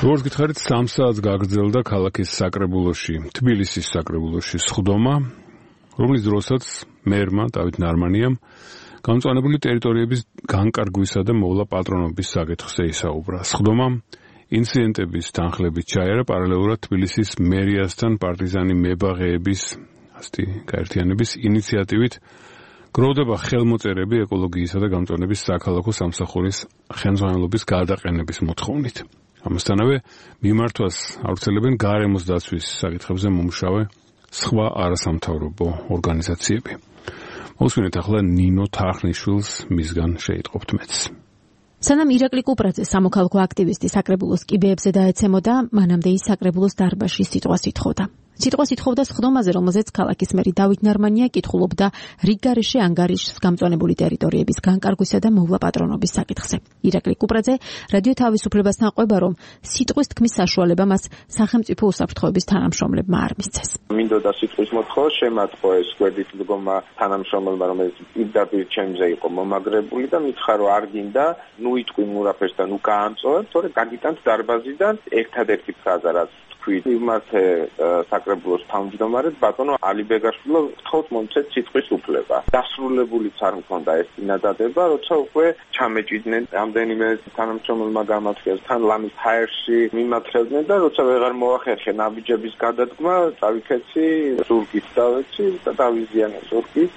როგორც გითხარით, 3 საათს გაგრძელდა ქალაქის საკრებულოში, თბილისის საკრებულოში სხდომა, რომლის დროსაც მერმა დავით ნარმანიამ გამწვანებული ტერიტორიების განკარგვისა და მოვლა პატრონობის საკითხზე ისაუბრა. სხდომამ ინციდენტების თანხლებით ჩაერა პარალელურად თბილისის მერიასთან პარტიზანი მებაღეების გაერთიანების ინიციატივით გროვდება ხელმოწერები ეკოლოგიისა და გამწვანების საქალაქო სამსახურის ხელმძღვანელობის გადაყენების მოთხოვნით. ამასთანავე მიმართვას ავრცელებენ გარემოს დაცვის საკითხებზე მომუშავე სხვა არასამთავრობო ორგანიზაციები. მოსვინეთ ახლა ნინო თახნიშვილს, მისგან შეიტყობთ მეც. სანამ ირაკლი კუპრაძე სამოქალაქო აქტივისტი საკრებულოს კიბეებზე დაეცემოდა, მანამდე ის საკრებულოს დარბაზში სიტყვას ითხოვდა. სიტყვას ითხოვდა სხდომაზე, რომელზეც ქალაქის მერი დავით ნარმანია კითხულობდა რიგგარეშე ანგარიშს გამწვანებული ტერიტორიების განკარგვისა და მოვლა პატრონობის საკითხზე. ირაკლი კუპრაძე რადიო თავისუფლებასთან ყვება, რომ სიტყვის თქმის საშუალება მას სახელმწიფო უსაფრთხოების თანამშრომლებმა არ მისცეს. მინდოდა სიტყვის მოთხოვა შემატყო ეს გვერდით დგომა თანამშრომელმა, რომელიც პირდაპირ ჩემზე იყო მომაგრებული და მითხრა, რომ არ გინდა, ნუ იტყვი მურაფერს და ნუ გაამწოვებ, თორე გაგიტანთ დარბაზიდან ერთადერთი ფრაზა რაც იმათე საკრებულოს თავმჯდომარედ ბატონო ალი ბეგაშვილო გთხოვთ მომცეთ სიტყვის უფლება. დასრულებულიც არ მქონდა ეს წინადადება, როცა უკვე ჩამეჭიდნენ რამდენიმე თანამშრომელმა გამართეს თან ლამის ჰაერში მიმართებდნენ და როცა ვეღარ მოახერხე ნაბიჯების გადადგმა, წავიქეცი ზურგით დავეცი და დავიზიანე ზურგით.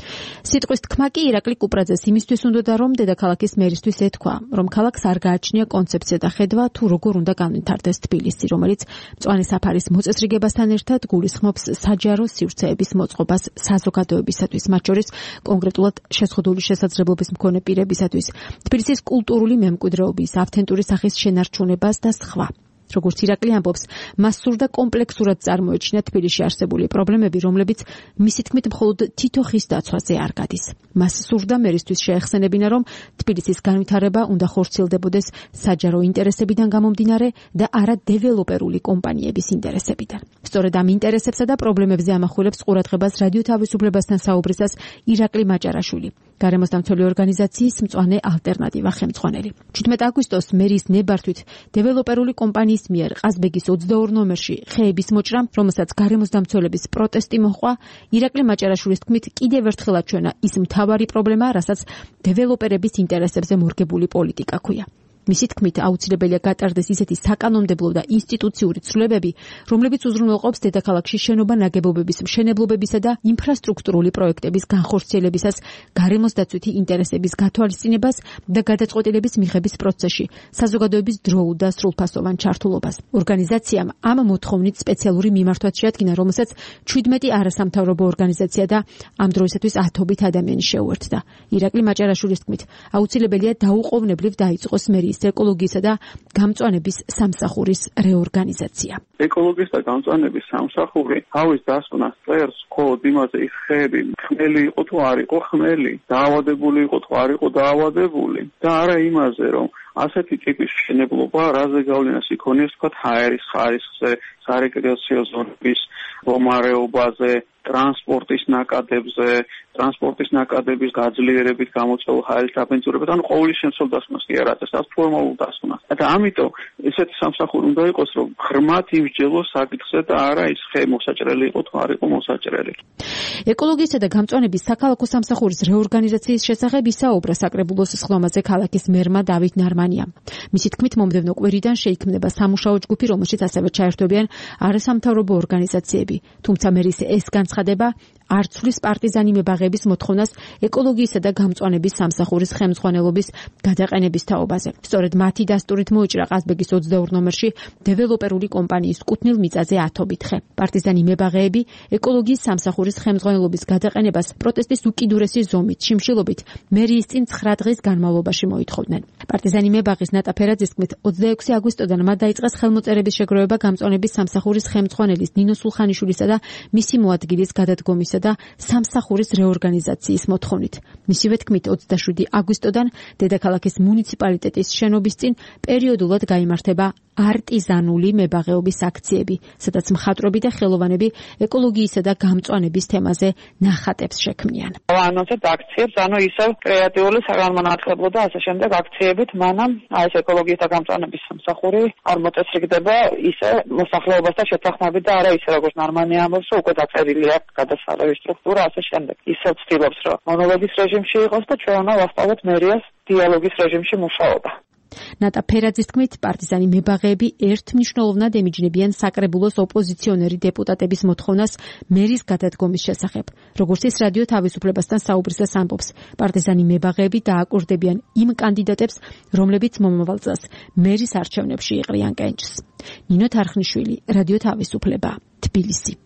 სიტყვის თქმა კი ირაკლი კუპრაძეს იმისთვის უნდოდა, რომ დედაქალაქის მერისთვის ეთქვა, რომ ქალაქს არ გააჩნია კონცეფცია და ხედვა თუ როგორ უნდა განვითარდეს თბილისი, რომელიც მწვანე საფარის მოწესრიგებასთან ერთად გულისხმობს საჯარო სივრცეების მოწყობას საზოგადოებისათვის, მათ შორის კონკრეტულად შეზღუდული შესაძლებლობის მქონე პირებისათვის, თბილისის კულტურული მემკვიდრეობის, ავთენტური სახის შენარჩუნებას და სხვა. როგორც ირაკლი ამბობს, მას სურდა კომპლექსურად წარმოეჩინა თბილისში არსებული პრობლემები, რომლებიც მისი თქმით მხოლოდ თითო ხის დაცვაზე არ გადის. მას სურდა მერისთვის შეეხსენებინა, რომ თბილისის განვითარება უნდა ხორციელდებოდეს საჯარო ინტერესებიდან გამომდინარე და არა დეველოპერული კომპანიების ინტერესებიდან. სწორედ ამ ინტერესებსა და პრობლემებზე ამახვილებს ყურადღებას რადიო თავისუფლებასთან საუბრისას ირაკლი მაჭარაშვილი, გარემოს დამცველი ორგანიზაციის მწვანე ალტერნატივა ხელმძღვანელი. 17 აგვისტოს მერის ნებართვით დეველოპერული კომპანიის მიერ ყაზბეგის 22 ნომერში ხეების მოჭრამ, რომელსაც გარემოს დამცველების პროტესტი მოჰყვა, ირაკლი მაჭარაშვილის თქმით კიდევ ერთხელ აჩვენა ის მთავარი პრობლემა, რასაც დეველოპერების ინტერესებზე მორგებული პოლიტიკა ქვია. მისი თქმით აუცილებელია გატარდეს ისეთი საკანონმდებლო და ინსტიტუციური ცვლილებები, რომლებიც უზრუნველყოფს დედაქალაქში შენობა ნაგებობების მშენებლობებისა და ინფრასტრუქტურული პროექტების განხორციელებისას გარემოს დაცვითი ინტერესების გათვალისწინებას და გადაწყვეტილების მიღების პროცესში საზოგადოების დროულ და სრულფასოვან ჩართულობას. ორგანიზაციამ ამ მოთხოვნით სპეციალური მიმართვაც შეადგინა, რომელსაც 17 არასამთავრობო ორგანიზაცია და ამ დროისათვის 10-ობით ადამიანი შეუერთდა. ირაკლი მაჭარაშვილის თქმით, აუცილებელია დაუყოვნებლივ დაიწყოს მერის ეკოლოგიისა და გამწვანების სამსახურის რეორგანიზაცია. ეკოლოგიის და გამწვანების სამსახური თავის დასკვნას წერს მხოლოდ იმაზე, ის ხეები ხმელი იყო თუ არ იყო ხმელი, დაავადებული იყო თუ არ იყო დაავადებული და არა იმაზე, რომ ასეთი ტიპის მშენებლობა რაზე გავლენას იქონიებს თქვა ჰაერის ხარისხზე, სარეკრეაციო ზონების რომარეობაზე, ტრანსპორტის ნაკადების გაძლიერებით გამოწვეულ ჰაერის დაბინძურებას, ანუ ყოვლის შემცველ დასკვნას კი არ აწევს, ამ ფორმალურ დასკვნას. და ამიტომ ესეთი სამსახური უნდა იყოს, რომ ღრმად იმსჯელოს საკითხზე და არა ის ხე მოსაჭრელი იყო თუ არ იყო მოსაჭრელი. ეკოლოგიისა და გამწვანების საქალაქო სამსახურის რეორგანიზაციის შესახებ ისაუბრა საკრებულოს სხდომაზე ქალაქის მერმა დავით ნარმანიამ. მისი თქმით, მომდევნო კვირიდან შეიქმნება სამუშაო ჯგუფი, რომელშიც ასევე ჩაერთვებიან არასამთავრობო ორგანიზაციები, თუმცა მერის ეს განცხადება არ ცვლის პარტიზანი მებაღეების მოთხოვნას ეკოლოგიისა და გამწვანების სამსახურის ხელმძღვანელობის გადაყენების თაობაზე. სწორედ მათი დასტურით მოიჭრა ყაზბეგის 22 ნომერში დეველოპერული კომპანიის კუთვნილ მიწაზე 10-ობით ხე. პარტიზანი მებაღეები ეკოლოგიის სამსახურის ხელმძღვანელობის გადაყენებას პროტესტის უკიდურესი ზომით, შიმშილობით მერიის წინ 9 დღის განმავლობაში მოითხოვდნენ. პარტიზანი მებაღის ნატა ფერაძის თქმით, 26 აგვისტოდან მათ დაიწყეს ხელმოწერების შეგროვება გამწვანების სამსახურის ხელმძღვანელის ნინო სულხანიშვილისა და მისი მოადგილის გადადგომის და სამსახურის რეორგანიზაციის მოთხოვნით. მისივე თქმით, 27 აგვისტოდან დედაქალაქის მუნიციპალიტეტის შენობის წინ პერიოდულად გაიმართება არტიზანული მებაღეობის აქციები, სადაც მხატვრები და ხელოვანები ეკოლოგიისა და გამწვანების თემაზე ნახატებს შექმნიან. ანონსებს აქციებს, ისევ კრეატიული საგანმანათლებლო და ასე შემდეგ აქციებით, მანამ ეს ეკოლოგიის და გამწვანების სამსახური არ მოწესრიგდება ისე მოსახლეობასთან შეთანხმებით და არა ისე როგორც ნარმანი ამბობს, რომ უკვე დაწერილი აქვს გადასახადების სტრუქტურა ასე შემდეგ. ისევ ცდილობს, რომ მონოლოგის რეჟიმში იყოს და ჩვენ უნდა ვასწავლოთ მერიას დიალოგის რეჟიმში მუშაობა. ნატა ფერაძის თქმით, პარტიზანი მებაღეები ერთმნიშვნელოვნად ემიჯნებიან საკრებულოს ოპოზიციონერი დეპუტატების მოთხოვნას მერის გადადგომის შესახებ. როგორც ის რადიო თავისუფლებასთან საუბრისას ამბობს, პარტიზანი მებაღეები დააკურდებიან იმ კანდიდატებს, რომლებიც მომავალ წელს მერის არჩევნებში იყრიან კენჭს. ნინო თარხნიშვილი, რადიო თავისუფლება, თბილისი.